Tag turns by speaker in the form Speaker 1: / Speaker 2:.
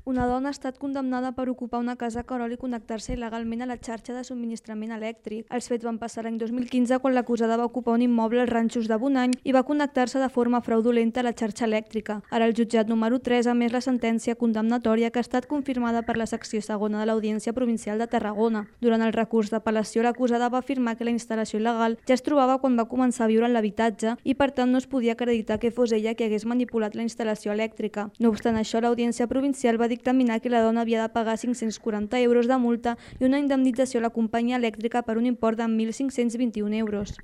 Speaker 1: Una dona ha estat condemnada per ocupar una casa a Querol i connectar-se il·legalment a la xarxa de subministrament elèctric. Els fets van passar l'any 2015 quan l'acusada va ocupar un immoble als Ranxos de Bonany i va connectar-se de forma fraudulenta a la xarxa elèctrica. Ara el jutjat número 3 ha emès la sentència condemnatòria que ha estat confirmada per la secció segona de l'Audiència Provincial de Tarragona. Durant el recurs d'apel·lació, l'acusada va afirmar que la instal·lació il·legal ja es trobava quan va començar a viure en l'habitatge i per tant no es podia acreditar que fos ella qui hagués manipulat la instal·lació elèctrica. No obstant això, l'Audiència Provincial va dictaminar que la dona havia de pagar 540 euros de multa i una indemnització a la companyia elèctrica per un import de 1.521 euros.